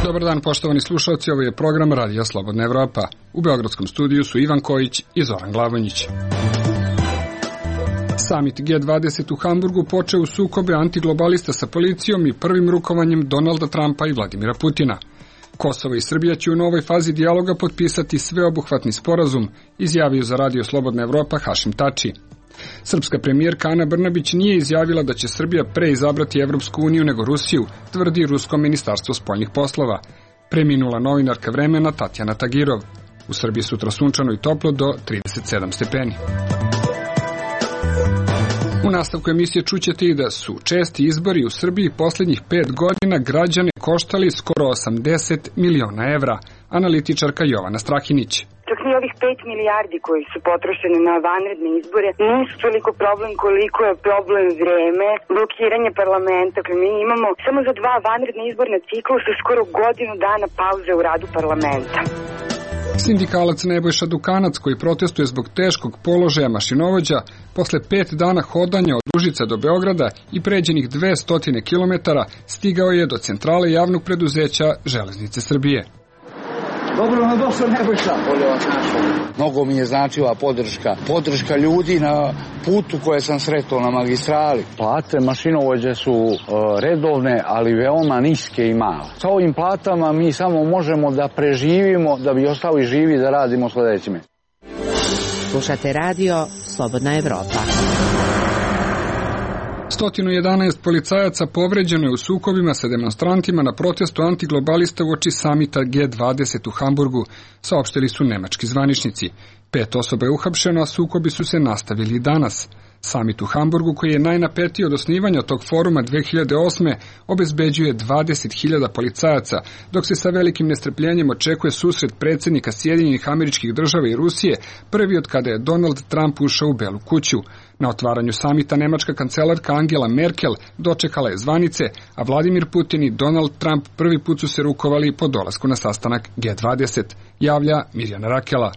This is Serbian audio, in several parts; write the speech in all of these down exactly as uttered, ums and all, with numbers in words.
Dobar dan, poštovani slušalci, ovo je program Radija Slobodna Evropa. U beogradskom studiju su Ivan Kojić i Zoran Glavonjić. Samit G dvadeset u Hamburgu počeo u sukobe antiglobalista sa policijom i prvim rukovanjem Donalda Trumpa i Vladimira Putina. Kosovo i Srbija će u novoj fazi dijaloga potpisati sveobuhvatni sporazum, izjavio za Radio Slobodna Evropa Hašim Tači. Srpska premijerka Ana Brnabić nije izjavila da će Srbija pre izabrati Evropsku uniju nego Rusiju, tvrdi Rusko ministarstvo spoljnih poslova. Preminula novinarka Vremena Tatjana Tagirov. U Srbiji sutra sunčano i toplo do trideset sedam stepeni. U nastavku emisije čućete i da su česti izbori u Srbiji posljednjih pet godina građane koštali skoro osamdeset miliona evra. Analitičarka Jovana Strahinić. Čak ni ovih pet milijardi koji su potrošeni na vanredne izbore nisu toliko problem koliko je problem vreme, blokiranje parlamenta. Mi imamo samo za dva vanredne izborne ciklusa skoro godinu dana pauze u radu parlamenta. Sindikalac Nebojša Dukanac, koji protestuje zbog teškog položaja mašinovođa, posle pet dana hodanja od Užica do Beograda i pređenih dvesta kilometara, stigao je do centrale javnog preduzeća Železnice Srbije. Dobro nam došao Nebojša, bolje vas našao. Mnogo mi je značila podrška, podrška ljudi na putu koje sam sretao na magistrali. Plate mašinovođe su uh, redovne, ali veoma niske i male. Sa ovim platama mi samo možemo da preživimo, da bi ostali živi da radimo sledećime. Slušate radio Slobodna Evropa. sto jedanaest policajaca povređeno je u sukobima sa demonstrantima na protestu antiglobalista uoči samita G dvadeset u Hamburgu, saopštili su nemački zvaničnici. Pet osoba je uhapšeno, a sukobi su se nastavili danas. Samit u Hamburgu, koji je najnapetiji od osnivanja tog foruma dve hiljade osme, obezbeđuje dvadeset hiljada policajaca, dok se sa velikim nestrpljenjem očekuje susret predsjednika Sjedinjenih Američkih Država i Rusije, prvi od kada je Donald Trump ušao u Belu kuću. Na otvaranju samita nemačka kancelarka Angela Merkel dočekala je zvanice, a Vladimir Putin i Donald Trump prvi put su se rukovali po dolasku na sastanak G dvadeset, javlja Mirjana Rakela.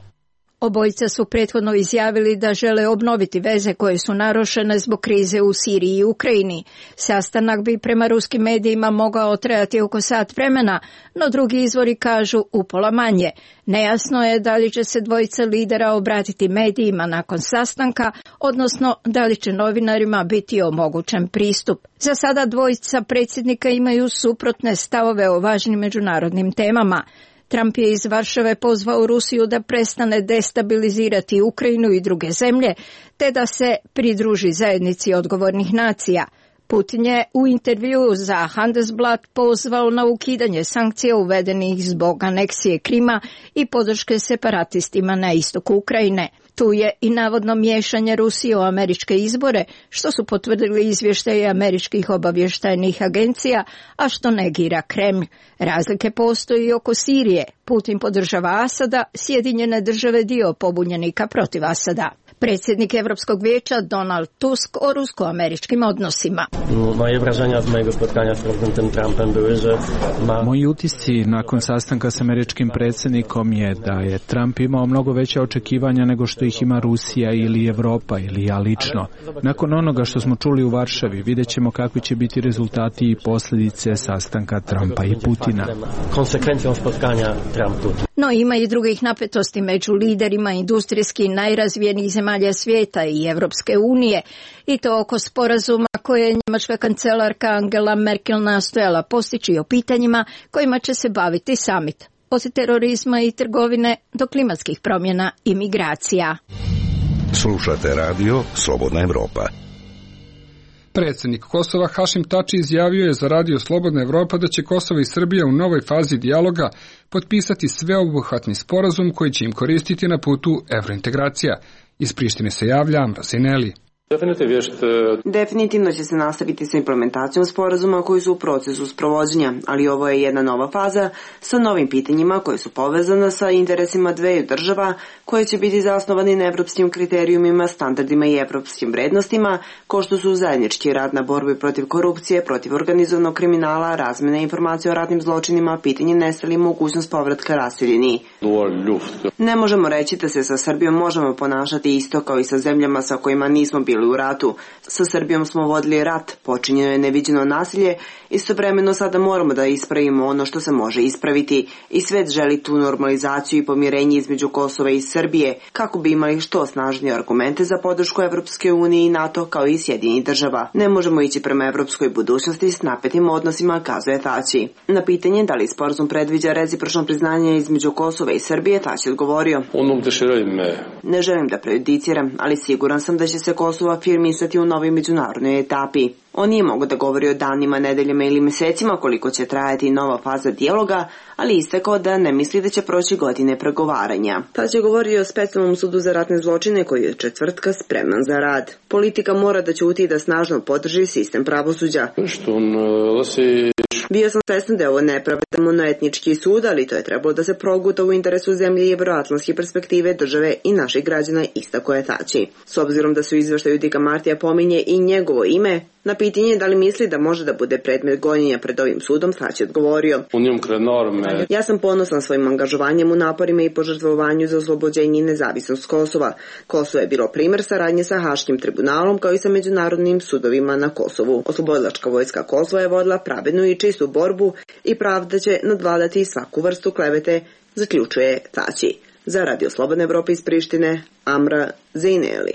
Obojica su prethodno izjavili da žele obnoviti veze koje su narušene zbog krize u Siriji i Ukrajini. Sastanak bi prema ruskim medijima mogao trajati oko sat vremena, no drugi izvori kažu upola manje. Nejasno je da li će se dvojica lidera obratiti medijima nakon sastanka, odnosno da li će novinarima biti omogućen pristup. Za sada dvojica predsjednika imaju suprotne stavove o važnim međunarodnim temama. Trump je iz Varšave pozvao Rusiju da prestane destabilizirati Ukrajinu i druge zemlje, te da se pridruži zajednici odgovornih nacija. Putin je u intervjuu za Handelsblatt pozvao na ukidanje sankcija uvedenih zbog aneksije Krima i podrške separatistima na istoku Ukrajine. Tu je i navodno miješanje Rusije u američke izbore, što su potvrdili izvještaje američkih obavještajnih agencija, a što negira Kremlj. Razlike postoji i oko Sirije. Putin podržava Asada, Sjedinjene Države dio pobunjenika protiv Asada. Predsjednik Europskog vijeća Donald Tusk o rusko-američkim odnosima. Moje wrażenia od mojego spotkania z prezydentem Trumpem były, że ma... Moji utisci nakon sastanka s američkim predsjednikom je da je Trump imao mnogo veća očekivanja nego što ih ima Rusija ili Evropa ili ja lično. Nakon onoga što smo čuli u Varšavi, vidjet ćemo kakvi će biti rezultati i posljedice sastanka Trumpa i Putina. Konsekvencijom spotkanja Trump-Putin. No ima i drugih napetosti među liderima industrijski najrazvijenijih zemalja svijeta i Evropske unije, i to oko sporazuma koje je njemačka kancelarka Angela Merkel nastojala postići o pitanjima kojima će se baviti samit. Od terorizma i trgovine do klimatskih promjena i migracija. Slušate radio Slobodna Evropa. Predsjednik Kosova Hašim Tači izjavio je za Radio Slobodna Evropa da će Kosovo i Srbija u novoj fazi dijaloga potpisati sveobuhvatni sporazum koji će im koristiti na putu evrointegracija. Iz Prištine se javlja Amra Zineli. Definitivno će se nastaviti sa implementacijom sporazuma koji su u procesu sprovođenja, ali ovo je jedna nova faza sa novim pitanjima koje su povezana sa interesima dveju država koje će biti zasnovani na evropskim kriterijumima, standardima i evropskim vrednostima, kao što su zajednički rad na borbi protiv korupcije, protiv organizovanog kriminala, razmjena informacija o ratnim zločinima, pitanje nestalih, mogućnost povratka raseljeni. Ne možemo reći da se sa Srbijom možemo ponašati isto kao i sa zemljama sa kojima nismo bili bili u ratu. Sa Srbijom smo vodili rat, počinjeno je neviđeno nasilje, istovremeno sada moramo da ispravimo ono što se može ispraviti i svet želi tu normalizaciju i pomirenje između Kosova i Srbije kako bi imali što snažnije argumente za podršku Evropske unije i NATO kao i Sjedinjenih država. Ne možemo ići prema evropskoj budućnosti s napetim odnosima, kazuje Tači. Na pitanje da li sporazum predviđa recipročno priznanje između Kosova i Srbije, Tači odgovorio: Ne želim da prejudiciram, ali siguran sam da će se Kosovo afirmisati u novoj međunarodnoj etapi. On nije mogao da govori o danima, nedeljama ili mesecima koliko će trajati nova faza dijaloga, ali istakao da ne misli da će proći godine pregovaranja. Tači je govorio o specijalnom sudu za ratne zločine koji je četvrtka spreman za rad. Politika mora da ćuti i da snažno podrži sistem pravosuđa. Bio sam svestan da je ovo nepravedan monoetnički sud, ali to je trebalo da se proguta u interesu zemlje i evroatlantske perspektive države i naših građana, istako je Tači. S obzirom da su izveštaju Dika Martija pominje i njegovo ime, na pitanje da li misli da može da bude predmet gonjenja pred ovim sudom, Tači odgovorio: Ja sam ponosan svojim angažovanjem u naporima i požrtvovanju za oslobođenje i nezavisnost Kosova. Kosovo je bilo primer saradnje sa Haškim tribunalom kao i sa međunarodnim sudovima na Kosovu. Oslobodilačka vojska Kosova je vodila pravednu i čistu borbu i pravda će nadvladati svaku vrstu klevete, zaključuje Tači. Za Radio Slobodne Evrope iz Prištine, Amra Zejneli.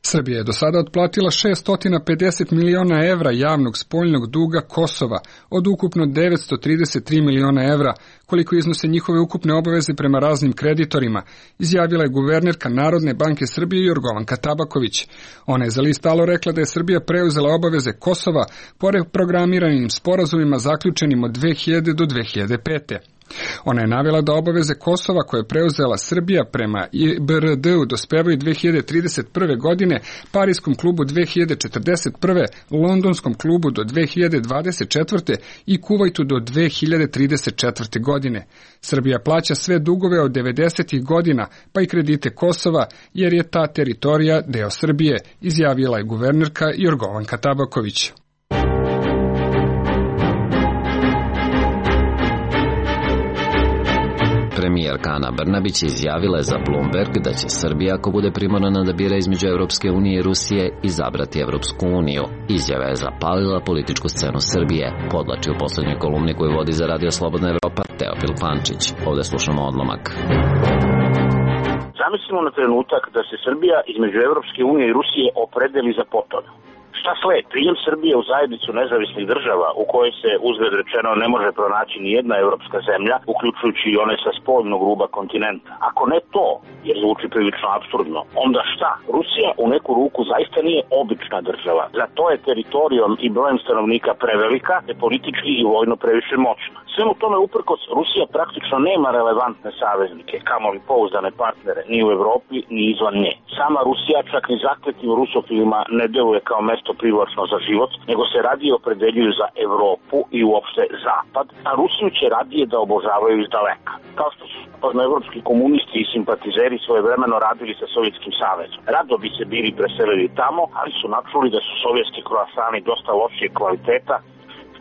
Srbija je do sada otplatila šesto pedeset miliona evra javnog spoljnog duga Kosova od ukupno devetsto trideset tri miliona evra, koliko iznose njihove ukupne obaveze prema raznim kreditorima, izjavila je guvernerka Narodne banke Srbije Jorgovanka Tabaković. Ona je za list Alo rekla da je Srbija preuzela obaveze Kosova po reprogramiranim sporazumima zaključenim od dve hiljade do dve hiljade pete. Ona je navela da obaveze Kosova koje je preuzela Srbija prema I B R D-u dospevaju dve hiljade trideset prve godine, Parijskom klubu dve hiljade četrdeset prve, Londonskom klubu do dve hiljade dvadeset četvrte i Kuvajtu do dve hiljade trideset četvrte godine. Srbija plaća sve dugove od devedesetih godina, pa i kredite Kosova, jer je ta teritorija deo Srbije, izjavila je guvernerka Jorgovanka Tabaković. Premijerka Ana Brnabić izjavila je za Bloomberg da će Srbija, ako bude primorana da bira između Evropske unije i Rusije, izabrati Evropsku uniju. Izjava je zapalila političku scenu Srbije, podlači u poslednjoj kolumni koju vodi za Radio Slobodna Evropa Teofil Pančić. Ovde slušamo odlomak. Zamislimo na trenutak da se Srbija između Evropske unije i Rusije opredeli za potom. Šta sled? Prijem Srbije u zajednicu nezavisnih država u kojoj se, uzgled rečeno, ne može pronaći ni jedna evropska zemlja, uključujući i one sa spoljnog ruba kontinenta. Ako ne to, jer zvuči prilično apsurdno, onda šta? Rusija u neku ruku zaista nije obična država. Za to je teritorijom i brojem stanovnika prevelika, te politički i vojno previše moćna. Svemu tome uprkos, Rusija praktično nema relevantne saveznike, kamoli pouzdane partnere, ni u Evropi, ni izvan nje. Sama Rusija čak ni zakletim rusofilima ne deluje kao mesto privlačno za život, nego se radije opredeljuju za Evropu i uopšte Zapad, a Rusiju će radije da obožavaju iz daleka. Kao što su evropski komunisti i simpatizeri svojevremeno radili sa Sovjetskim savezom. Rado bi se bili preselili tamo, ali su načuli da su sovjetski kroasani dosta lošije kvaliteta,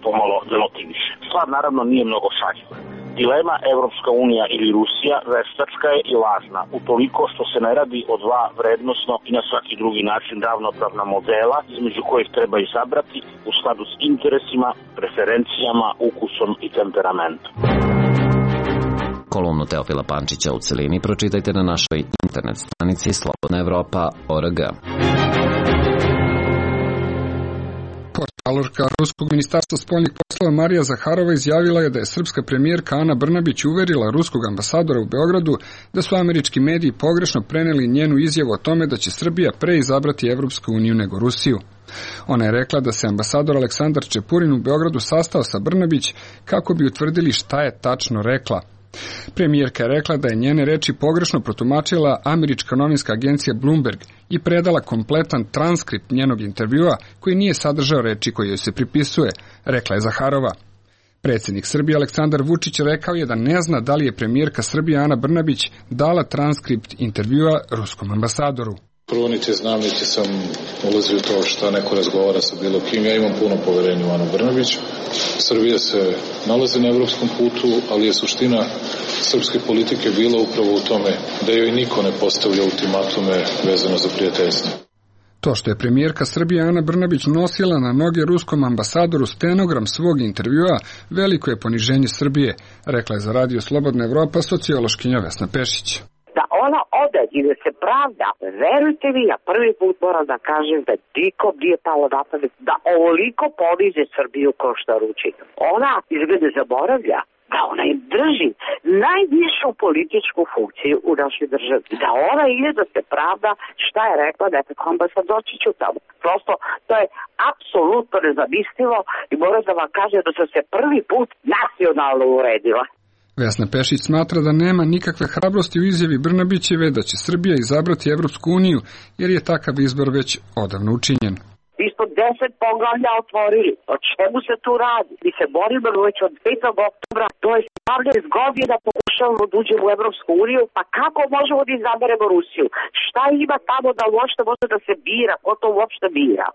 pomalo demotiviše. Stvar naravno nije mnogo šaljiva. Dilema Evropska unija ili Rusija veštačka je i lažna, utoliko što se ne radi o dva vrednosno i na svaki drugi način ravnopravna modela, između kojih treba izabrati u skladu s interesima, preferencijama, ukusom i temperamentom. Kolumnu Teofila Pančića u celini pročitajte na našoj internet stranici slobodna evropa tačka org. Portalorka Ruskog ministarstva spoljnih poslova Marija Zaharova izjavila je da je srpska premijerka Ana Brnabić uverila ruskog ambasadora u Beogradu da su američki mediji pogrešno preneli njenu izjavu o tome da će Srbija pre izabrati Evropsku uniju nego Rusiju. Ona je rekla da se ambasador Aleksandar Čepurin u Beogradu sastao sa Brnabić kako bi utvrdili šta je tačno rekla. Premijerka je rekla da je njene reči pogrešno protumačila američka novinska agencija Bloomberg i predala kompletan transkript njenog intervjua koji nije sadržao reči koje joj se pripisuje, rekla je Zaharova. Predsjednik Srbije Aleksandar Vučić rekao je da ne zna da li je premijerka Srbije Ana Brnabić dala transkript intervjua ruskom ambasadoru. Prvo niti znam, niti sam ulazio u to šta neko razgovara sa bilo kim. Ja imam puno poverenja u Anu Brnabić. Srbija se nalazi na evropskom putu, ali je suština srpske politike bila upravo u tome da joj niko ne postavlja ultimatume vezano za prijateljstvo. To što je premijerka Srbije Ana Brnabić nosila na noge ruskom ambasadoru stenogram svog intervjua, veliko je poniženje Srbije, rekla je za Radio Slobodna Evropa sociološkinja Vesna Pešić. Da ona ode i da se pravda, verujte mi, ja prvi put moram da kažem da nikom nije palo na pamet da ovoliko poniže Srbiju kao što ruči. Ona izgleda zaboravlja da ona im drži najvišu političku funkciju u našoj državi. Da ona ide da se pravda šta je rekla nekako ambasadorčiću tamo. Prosto to je apsolutno nezamislivo i moram da vam kažem da sam se prvi put nacionalno uredila. Vesna Pešić smatra da nema nikakve hrabrosti u izjavi Brnabićeve da će Srbija izabrati Evropsku uniju, jer je takav izbor već odavno učinjen. Mi smo deset poglavlja otvorili. O čemu se tu radi? Mi se borimo već od petog oktobra, to je sedamnaest godina pokušavamo da uđemo u Evropsku uniju, pa kako možemo da izaberemo Rusiju? Šta ima tamo da uopšte može da se bira? Ko to uopšte bira?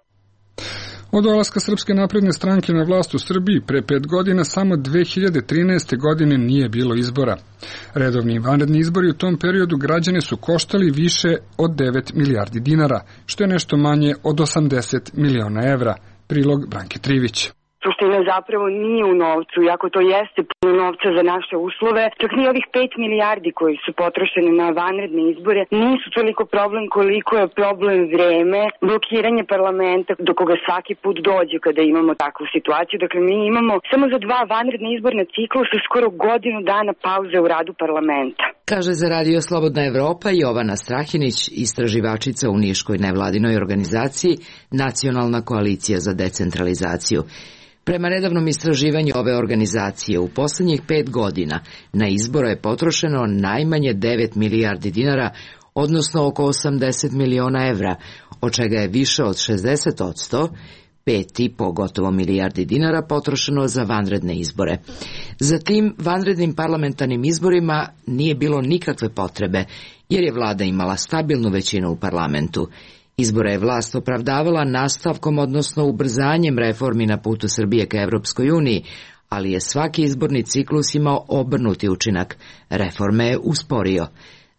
Od dolaska Srpske napredne stranke na vlast u Srbiji pre pet godina samo dve hiljade trinaeste. godine nije bilo izbora. Redovni i vanredni izbori u tom periodu građane su koštali više od devet milijardi dinara, što je nešto manje od osamdeset miliona evra. Prilog Branke Trivić. Suština zapravo nije u novcu, iako to jeste puno novca za naše uslove, čak ni ovih pet milijardi koji su potrošeni na vanredne izbore nisu toliko problem koliko je problem vreme, blokiranje parlamenta do koga svaki put dođe kada imamo takvu situaciju. Dakle, mi imamo samo za dva vanredne izborna ciklusa skoro godinu dana pauze u radu parlamenta. Kaže za Radio Slobodna Evropa Jovana Strahinić, istraživačica u niškoj nevladinoj organizaciji Nacionalna koalicija za decentralizaciju. Prema nedavnom istraživanju ove organizacije, u poslednjih pet godina na izbore je potrošeno najmanje devet milijardi dinara, odnosno oko osamdeset miliona evra, od čega je više od šezdeset posto, pet i po gotovo milijardi dinara potrošeno za vanredne izbore. Za tim vanrednim parlamentarnim izborima nije bilo nikakve potrebe, jer je vlada imala stabilnu većinu u parlamentu. Izbore je vlast opravdavala nastavkom, odnosno ubrzanjem reformi na putu Srbije ka Evropskoj uniji, ali je svaki izborni ciklus imao obrnuti učinak. Reforme je usporio.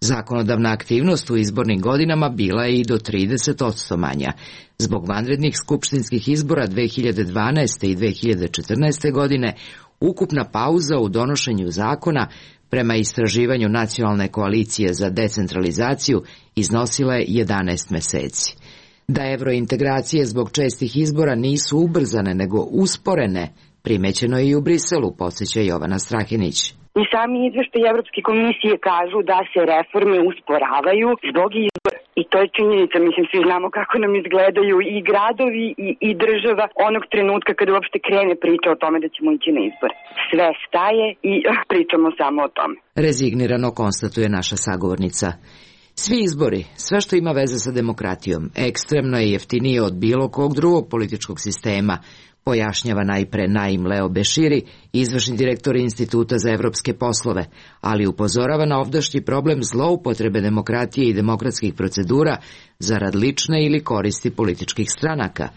Zakonodavna aktivnost u izbornim godinama bila je i do trideset posto manja. Zbog vanrednih skupštinskih izbora dve hiljade dvanaeste. i dve hiljade četrnaeste. godine ukupna pauza u donošenju zakona prema istraživanju Nacionalne koalicije za decentralizaciju iznosila je jedanaest meseci. Da evrointegracije zbog čestih izbora nisu ubrzane nego usporene, primećeno je i u Briselu, podsjeća Jovana Strahinić. I sami izveštaji Evropske komisije kažu da se reforme usporavaju zbog izbora. I to je činjenica, mislim, svi znamo kako nam izgledaju i gradovi i, i država onog trenutka kada uopšte krene priča o tome da ćemo ići na izbor. Sve staje i pričamo samo o tome. Rezignirano konstatuje naša sagovornica. Svi izbori, sve što ima veze sa demokratijom, ekstremno je jeftinije od bilo kog drugog političkog sistema, pojašnjava najpre Naim Leo Beširi, izvršni direktor Instituta za evropske poslove, ali upozorava na ovdašnji problem zloupotrebe demokratije i demokratskih procedura zarad lične ili koristi političkih stranaka.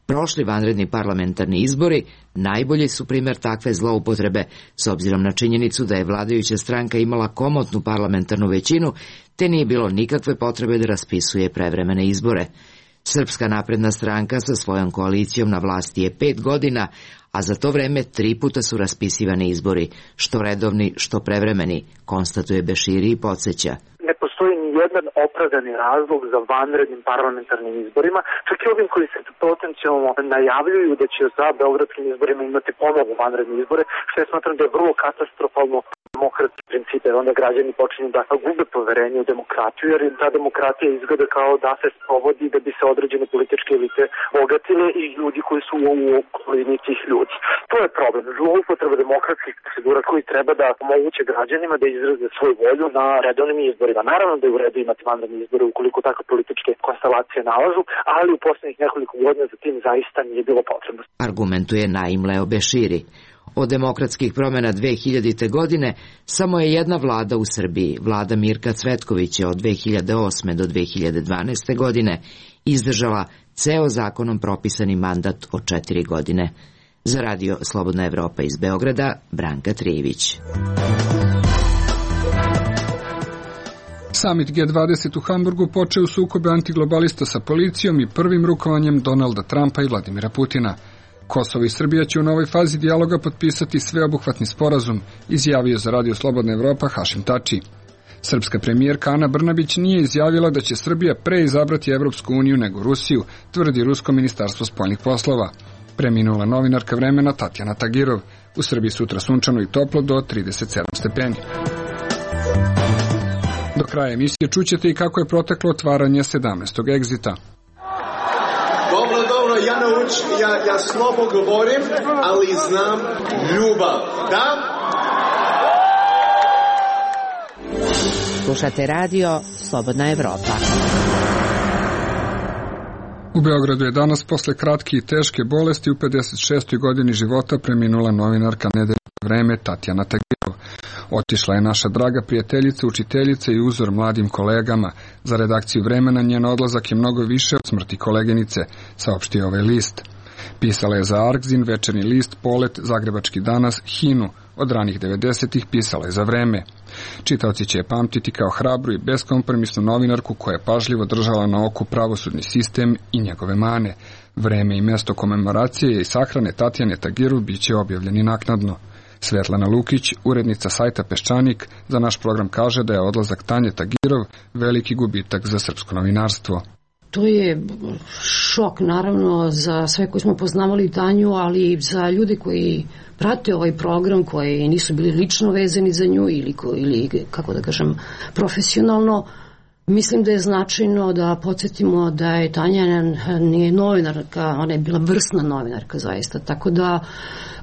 Prošli vanredni parlamentarni izbori najbolji su primjer takve zloupotrebe, s obzirom na činjenicu da je vladajuća stranka imala komotnu parlamentarnu većinu, te nije bilo nikakve potrebe da raspisuje prevremene izbore. Srpska napredna stranka sa svojom koalicijom na vlasti je pet godina, a za to vreme tri puta su raspisivani izbori, što redovni, što prevremeni, konstatuje Beširi i podsjeća. Ne postoji ni jedan opravdani razlog za vanrednim parlamentarnim izborima, čak i ovim koji se potencijalno najavljuju da će za beogradskim izborima imati ponovo vanredne izbore, što ja smatram da je vrlo katastrofalno demokratski principe, onda građani počinju da gube poverenje u demokratiju, jer ta demokratija izgleda kao da se sprovodi da bi se određene političke elite bogatile i ljudi koji su u okolini tih ljudi. To je problem. Zloupotreba demokratskih procedura koji treba da omoguće građanima da izraze svoju volju na redovnim izborima. Naravno da je u redu imati vanredne izbore ukoliko takve političke konstelacije nalažu, ali u poslednjih nekoliko godina za tim zaista nije bilo potrebno. Argumentuje Naim Leo Beširi. Od demokratskih promjena dve hiljadite. godine samo je jedna vlada u Srbiji, vlada Mirka Cvetkovića od dve hiljade osme. do dve hiljade dvanaeste. godine, izdržala ceo zakonom propisani mandat od četiri godine. Za Radio Slobodna Evropa iz Beograda, Branka Trivić. Samit G dvadeset u Hamburgu počeo u sukobe antiglobalista sa policijom i prvim rukovanjem Donalda Trumpa i Vladimira Putina. Kosovo i Srbija će u novoj fazi dijaloga potpisati sveobuhvatni sporazum, izjavio za Radio Slobodna Evropa Hašim Tači. Srpska premijerka Ana Brnabić nije izjavila da će Srbija pre izabrati Evropsku uniju nego Rusiju, tvrdi Rusko ministarstvo spoljnih poslova. Preminula novinarka Vremena Tatjana Tagirov. U Srbiji sutra sunčano i toplo do trideset sedam stepeni. Do kraja emisije čućete i kako je proteklo otvaranje sedamnaestog egzita. Dobro, dobro, ja naučim, ja, ja slabo govorim, ali znam ljubav, da? Slušate radio Slobodna Evropa. U Beogradu je danas posle kratke i teške bolesti u pedeset šestoj godini života preminula novinarka Nedeljnog Vreme Tatjana Tagirov. Otišla je naša draga prijateljica, učiteljica i uzor mladim kolegama. Za redakciju Vremena njen odlazak je mnogo više od smrti koleginice, saopštio ovaj list. Pisala je za Arkzin, Večernji list, Polet, Zagrebački danas, Hinu. Od ranih devedesetih pisala je za Vreme. Čitaoci će je pamtiti kao hrabru i beskompromisnu novinarku koja je pažljivo držala na oku pravosudni sistem i njegove mane. Vreme i mesto komemoracije i sahrane Tatjane Tagirov bit će objavljeni naknadno. Svetlana Lukić, urednica sajta Peščanik, za naš program kaže da je odlazak Tanje Tagirov veliki gubitak za srpsko novinarstvo. To je šok naravno za sve koji smo poznavali Tanju, ali i za ljude koji prate ovaj program, koji nisu bili lično vezani za nju ili, ili kako da kažem, profesionalno. Mislim da je značajno da podsjetimo da je Tanja nije novinarka, ona je bila vrsna novinarka zaista, tako da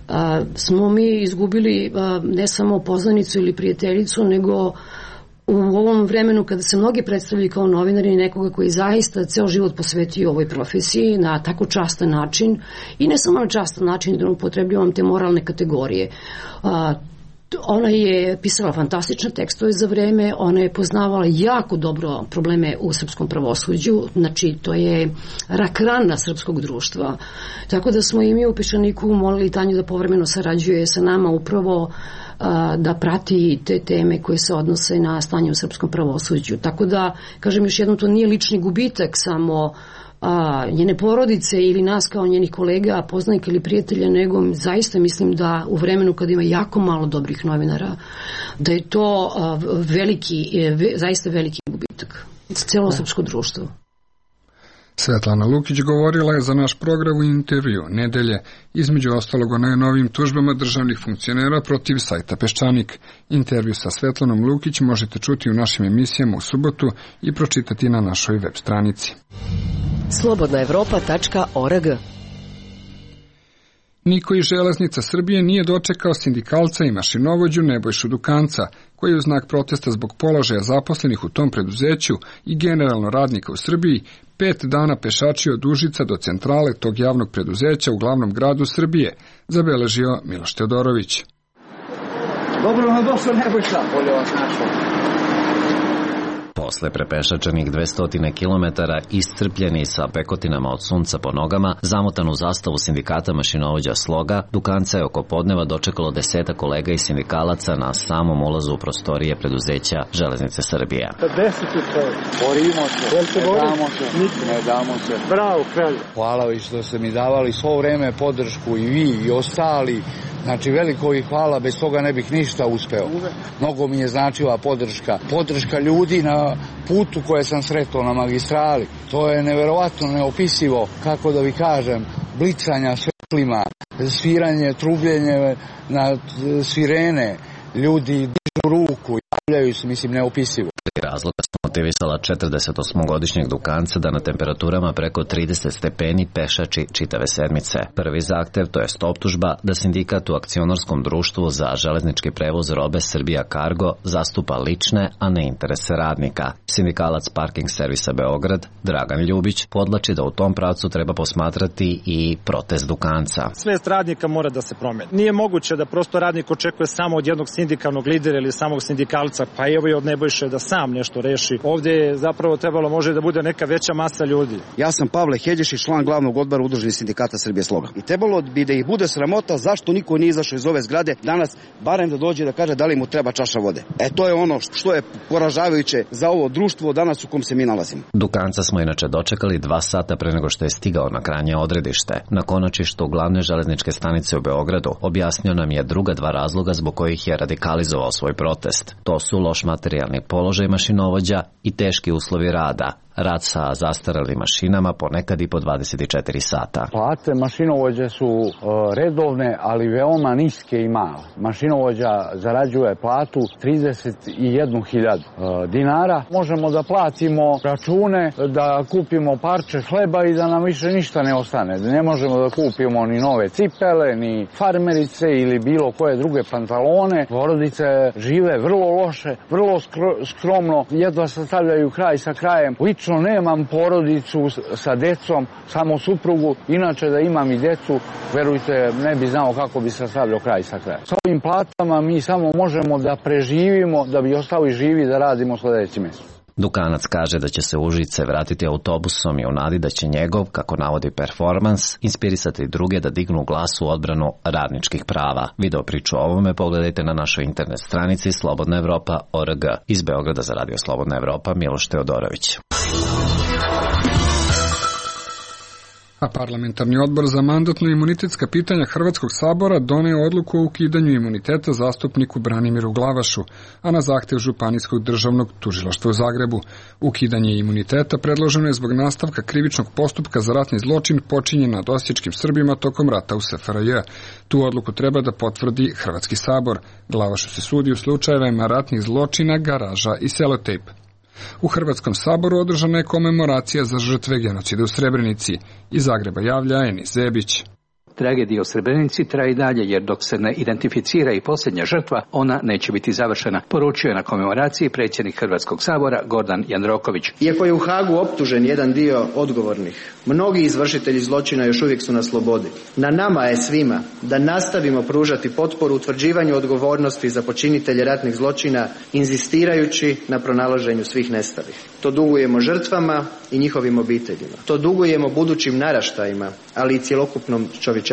a, smo mi izgubili a, ne samo poznanicu ili prijateljicu, nego u ovom vremenu kada se mnogi predstavljaju kao novinari, nekoga koji zaista ceo život posvetio ovoj profesiji na tako častan način i ne samo na častan način, da upotrebljavam te moralne kategorije. A, Ona je pisala fantastične tekstove za Vreme, ona je poznavala jako dobro probleme u srpskom pravosuđu, znači to je rak rana srpskog društva. Tako da smo i mi u Peščaniku molili Tanju da povremeno sarađuje sa nama upravo a, da prati te teme koje se odnose na stanje u srpskom pravosuđu. Tako da, kažem još jednom, to nije lični gubitak samo a, njene porodice ili nas kao njenih kolega, poznanika ili prijatelja, nego zaista mislim da u vremenu kada ima jako malo dobrih novinara, da je to a, veliki, ve, zaista veliki gubitak za celo srpsko društvo. Svetlana Lukić govorila je za naš program u intervju Nedelje, između ostalog o najnovijim tužbama državnih funkcionera protiv sajta Peščanik. Intervju sa Svetlanom Lukić možete čuti u našim emisijama u subotu i pročitati na našoj web stranici. slobodna evropa tačka org. Niko iz Železnica Srbije nije dočekao sindikalca i mašinovođu Nebojšu Dukanca, koji je u znak protesta zbog položaja zaposlenih u tom preduzeću i generalno radnika u Srbiji pet dana pešačio od Užica do centrale tog javnog preduzeća u glavnom gradu Srbije, zabeležio Miloš Teodorović. Dobro vam došlo, Nebojša, bolje vas našao. Posle prepešačenih dvesta kilometara, iscrpljeni sa pekotinama od sunca po nogama, zamotan u zastavu sindikata mašinovođa Sloga, Dukanca je oko podneva dočekalo deseta kolega i sindikalaca na samom ulazu u prostorije preduzeća Železnice Srbije. Deseti se, borimo se, ne damo se, ne damo se. Bravo, kralj. Hvala vi što ste mi davali svo vreme podršku i vi i ostali. Znači, veliko i hvala, bez toga ne bih ništa uspeo. Mnogo mi je značila podrška. Podrška ljudi na putu koje sam sretao na magistrali. To je neverovatno, neopisivo, kako da vi kažem, blicanja svetlima, sviranje, trubljenje na sirene, ljudi dižu ruku, javljaju se, mislim, neopisivo. Razloga su motivisala četrdesetosmogodišnjeg Dukanca da na temperaturama preko trideset stepeni pešači čitave sedmice. Prvi zahtev, to jest optužba, da sindikat u akcionarskom društvu za železnički prevoz robe Srbija Cargo zastupa lične, a ne interese radnika. Sindikalac Parking servisa Beograd, Dragan Ljubić, podlači da u tom pravcu treba posmatrati i protest Dukanca. Svest radnika mora da se promeni. Nije moguće da prosto radnik očekuje samo od jednog sindikalnog lidera ili samog sindikalca, pa evo i od Nebojše da sam nešto reši ovdje je zapravo trebalo može da bude neka veća masa ljudi. Ja sam Pavle Heđešić, član glavnog odbora Udruženih sindikata Srbije Sloga. I trebalo bi da ih bude sramota zašto niko nije izašao iz ove zgrade danas, barem da dođe da kaže da li mu treba čaša vode. E to je ono što je poražavajuće za ovo društvo danas u kom se mi nalazimo. Dukanca smo inače dočekali dva sata pre nego što je stigao na krajnje odredište. Na konačištu glavne železničke stanice u Beogradu objasnio nam je druga dva razloga zbog kojih je radikalizovao svoj protest. To su loš materijalni položaj mašinovođa i teški uslovi rada. Rad sa zastaralim mašinama ponekad i po dvadeset četiri sata. Plate mašinovođe su uh, redovne, ali veoma niske i male. Mašinovođa zarađuje platu trideset jednu hiljadu uh, dinara. Možemo da platimo račune, da kupimo parče hleba i da nam više ništa ne ostane. Ne možemo da kupimo ni nove cipele, ni farmerice ili bilo koje druge pantalone. Porodice žive vrlo loše, vrlo skro, skromno, jedva sastavljaju kraj sa krajem. Lično nemam porodicu sa decom, samo suprugu, inače da imam i decu, verujte, ne bi znao kako bi sastavljao kraj sa krajem. Sa ovim platama mi samo možemo da preživimo, da bi ostali živi da radimo sledeći mesec. Dukanac kaže da će se u Užice vratiti autobusom i u nadi da će njegov, kako navodi performans, inspirisati druge da dignu glas u odbranu radničkih prava. Video priču o ovome pogledajte na našoj internet stranici Slobodna Evropa точка org. Iz Beograda za Radio Slobodna Evropa, Miloš Teodorović. A parlamentarni odbor za mandatno-imunitetska pitanja Hrvatskog sabora doneo odluku o ukidanju imuniteta zastupniku Branimiru Glavašu, a na zahtev Županijskog državnog tužilaštva u Zagrebu. Ukidanje imuniteta predloženo je zbog nastavka krivičnog postupka za ratni zločin počinjen nad osječkim Srbima tokom rata u S F R J. Tu odluku treba da potvrdi Hrvatski sabor. Glavašu se sudi u slučajevima ratnih zločina, garaža i selotejp. U Hrvatskom saboru održana je komemoracija za žrtve genocida u Srebrenici. Iz Zagreba javlja Enis Zebić. Tragedija u Srebrenici traje i dalje, jer dok se ne identificira i posljednja žrtva, ona neće biti završena, poručio je na komemoraciji predsjednik Hrvatskog sabora Gordan Jandroković. Iako je u Hagu optužen jedan dio odgovornih, mnogi izvršitelji zločina još uvijek su na slobodi. Na nama je svima da nastavimo pružati potporu utvrđivanju odgovornosti za počinitelje ratnih zločina, inzistirajući na pronalaženju svih nestalih. To dugujemo žrtvama i njihovim obiteljima. To dugujemo budućim naraštajima, ali i cjelokupnom čovječanstvu.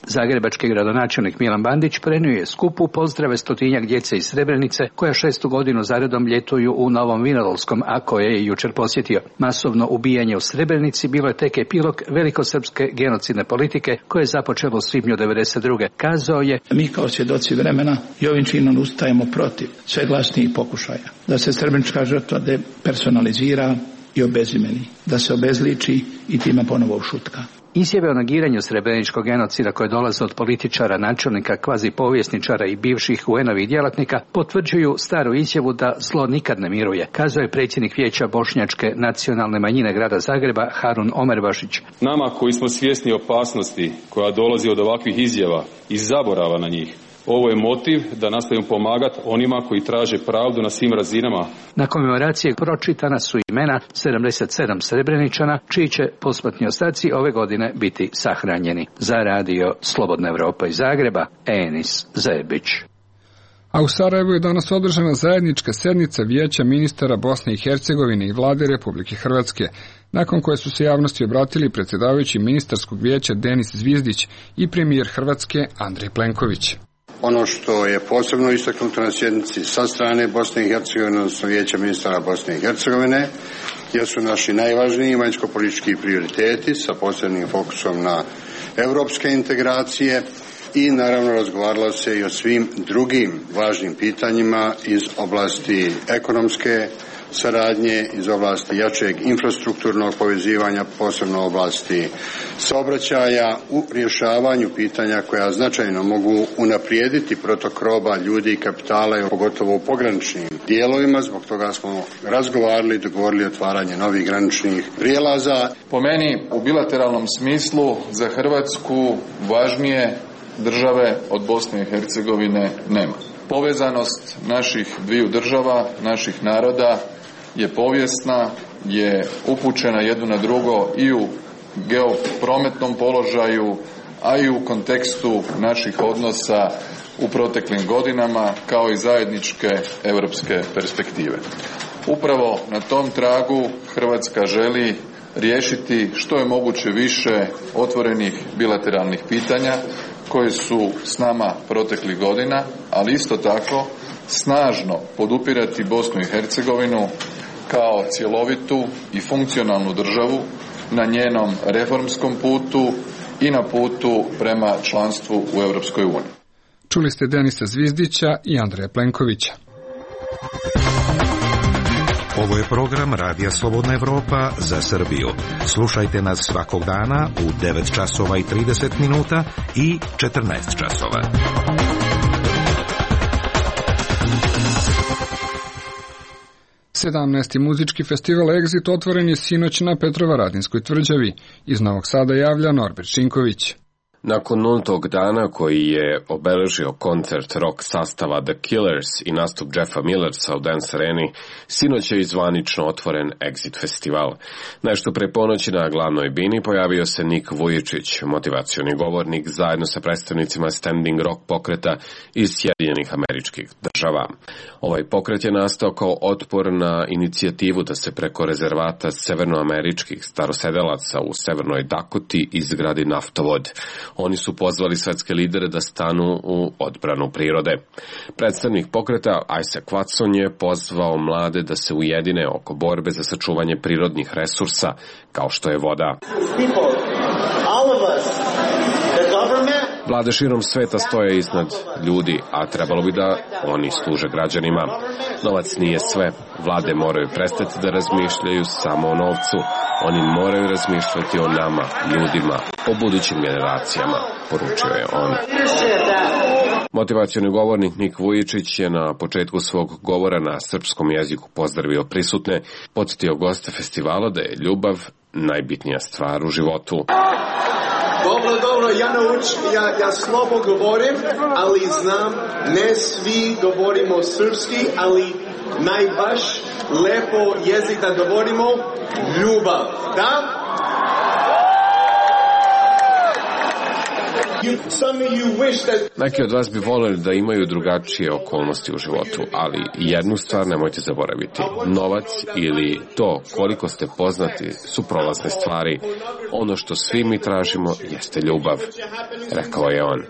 Zagrebački gradonačelnik Milan Bandić prenio je skupu pozdrave stotinjak djece iz Srebrenice koja šestu godinu zaredom ljetuju u Novom Vinodolskom, a koje je jučer posjetio. Masovno ubijanje u Srebrenici bilo je tek epilog velikosrpske genocidne politike koje je započelo u svibnju devedeset druge. Kazao je: mi kao svjedoci vremena i ovim činom ustajemo protiv sve glasnijih pokušaja da se srebrenička žrtva depersonalizira i obezimeni, da se obezliči i time ponovo ušutka. Izjave o negiranju srebreničkog genocida koje dolaze od političara, načelnika, kvazi povjesničara i bivših U N-ovih djelatnika potvrđuju staru izjavu da zlo nikad ne miruje, kazao je predsjednik Vijeća bošnjačke nacionalne manjine grada Zagreba Harun Omerbašić. Nama koji smo svjesni opasnosti koja dolazi od ovakvih izjava i zaborava na njih, ovo je motiv da nastavimo pomagati onima koji traže pravdu na svim razinama. Na komemoraciji pročitana su imena sedamdeset sedam Srebreničana, čiji će posmrtni ostaci ove godine biti sahranjeni. Za Radio Slobodna Evropa iz Zagreba, Enis Zebić. A u Sarajevu je danas održana zajednička sednica Vijeća ministara Bosne i Hercegovine i Vlade Republike Hrvatske, nakon koje su se javnosti obratili predsjedavajući ministarskog vijeća Denis Zvizdić i premijer Hrvatske Andrej Plenković. Ono što je posebno istaknuto na sjednici sa strane Bosne i Hercegovine, odnosno Vijeća ministara Bosne i Hercegovine, jesu naši najvažniji vanjsko-politički prioriteti sa posebnim fokusom na europske integracije i naravno razgovaralo se i o svim drugim važnim pitanjima iz oblasti ekonomske saradnje, iz oblasti jačeg infrastrukturnog povezivanja, posebno oblasti saobraćaja, u rješavanju pitanja koja značajno mogu unaprijediti protok roba, ljudi i kapitala, pogotovo u pograničnim dijelovima. Zbog toga smo razgovarali i dogovorili otvaranje novih graničnih prijelaza. Po meni, u bilateralnom smislu za Hrvatsku važnije države od Bosne i Hercegovine nema. Povezanost naših dviju država, naših naroda je povijesna, je upućena jedno na drugo i u geoprometnom položaju, a i u kontekstu naših odnosa u proteklim godinama, kao i zajedničke europske perspektive. Upravo na tom tragu Hrvatska želi riješiti što je moguće više otvorenih bilateralnih pitanja koje su s nama proteklih godina, ali isto tako snažno podupirati Bosnu i Hercegovinu kao cjelovitu i funkcionalnu državu na njenom reformskom putu i na putu prema članstvu u Europskoj uniji. Čuli ste Denisa Zvizdića i Andreja Plenkovića. Ovo je program Radija Slobodna Evropa za Srbiju. Slušajte nas svakog dana u devet časova i trideset minuta i četrnaest časova. sedamnaesti muzički festival Exit otvoren je sinoć na Petrovaradinskoj tvrđavi. Iz Novog Sada javlja Norbert Šinković. Nakon nultog dana koji je obeležio koncert rock sastava The Killers i nastup Jeffa Millersa u Dance Areni, sinoć je zvanično otvoren Exit festival. Nešto pre ponoći na glavnoj bini pojavio se Nik Vujičić, motivacioni govornik zajedno sa predstavnicima standing rock pokreta iz Sjedinjenih Američkih Država. Ovaj pokret je nastao kao otpor na inicijativu da se preko rezervata severnoameričkih starosedelaca u Severnoj Dakoti izgradi naftovod. Oni su pozvali svetske lidere da stanu u odbranu prirode. Predstavnik pokreta Isaac Watson je pozvao mlade da se ujedine oko borbe za sačuvanje prirodnih resursa, kao što je voda. Vlade širom sveta stoje iznad ljudi, a trebalo bi da oni služe građanima. Novac nije sve. Vlade moraju prestati da razmišljaju samo o novcu. Oni moraju razmišljati o nama, ljudima, o budućim generacijama, poručio je on. Motivacioni govornik Nik Vujičić je na početku svog govora na srpskom jeziku pozdravio prisutne, podsjetio goste festivala da je ljubav najbitnija stvar u životu. Dobro, dobro, ja naučim, ja, ja slabo govorim, ali znam, ne svi govorimo srpski, ali najbaš lepo jezik da govorimo, ljubav, da? Neki od vas bi voljeli da imaju drugačije okolnosti u životu, ali jednu stvar nemojte zaboraviti. Novac ili to koliko ste poznati su prolazne stvari. Ono što svi mi tražimo jeste ljubav, rekao je on.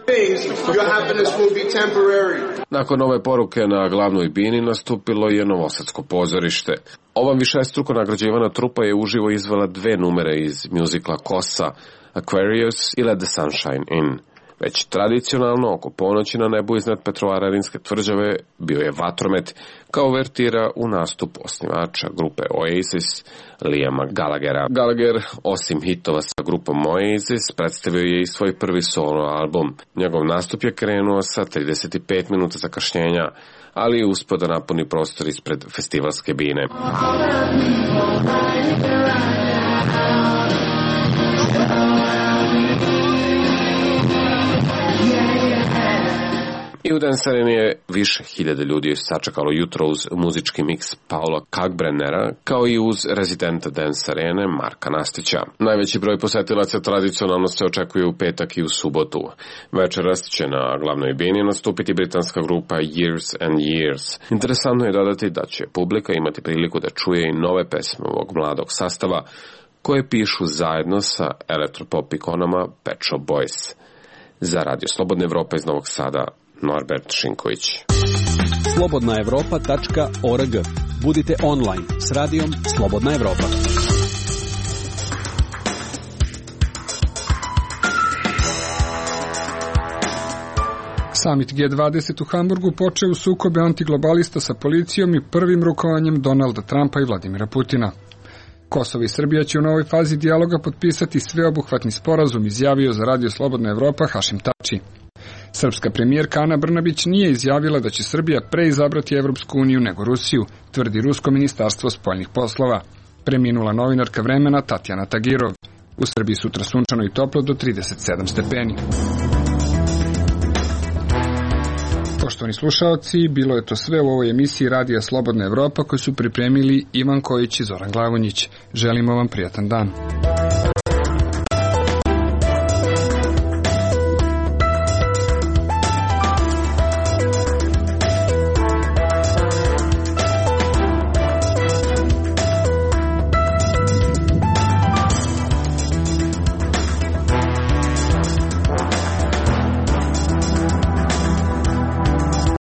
Nakon ove poruke na glavnoj bini nastupilo je Novosadsko pozorište. Ova višestruko nagrađivana trupa je uživo izvela dve numere iz mjuzikla Kosa, Aquarius i Let the Sunshine In. Već tradicionalno, oko ponoći na nebu iznad Petrovaradinske tvrđave bio je vatromet, kao uvertira u nastup osnivača grupe Oasis, Liama Gallaghera. Gallagher, osim hitova sa grupom Oasis, predstavio je i svoj prvi solo album. Njegov nastup je krenuo sa trideset pet minuta zakašnjenja, ali je uspio da napuni prostor ispred festivalske bine. I u Dance Areni je više hiljade ljudi sačekalo jutro uz muzički miks Paula Kalkbrennera, kao i uz rezidenta Dance Arene Marka Nastića. Najveći broj posetilaca tradicionalno se očekuje u petak i u subotu. Večeras će na glavnoj bini nastupiti britanska grupa Years and Years. Interesantno je dodati da će publika imati priliku da čuje i nove pesme ovog mladog sastava, koje pišu zajedno sa elektropop ikonama Pet Shop Boys. Za Radio Slobodna Evropa iz Novog Sada, Norbert Šinković. slobodna evropa tačka org. Budite online s radijom Slobodna Evropa. Samit G dvadeset u Hamburgu počeo u sukobe antiglobalista sa policijom i prvim rukovanjem Donalda Trumpa i Vladimira Putina. Kosovo i Srbija će u novoj fazi dijaloga potpisati sveobuhvatni sporazum, izjavio za Radio Slobodna Evropa Hašim Tači. Srpska premijerka Ana Brnabić nije izjavila da će Srbija pre izabrati Evropsku uniju nego Rusiju, tvrdi Rusko ministarstvo spoljnih poslova. Preminula novinarka Vremena Tatjana Tagirov. U Srbiji sutra sunčano i toplo do trideset sedam stepeni. Poštovani slušaoci, bilo je to sve u ovoj emisiji Radija Slobodna Evropa koju su pripremili Ivan Kojić i Zoran Glavonjić. Želimo vam prijatan dan.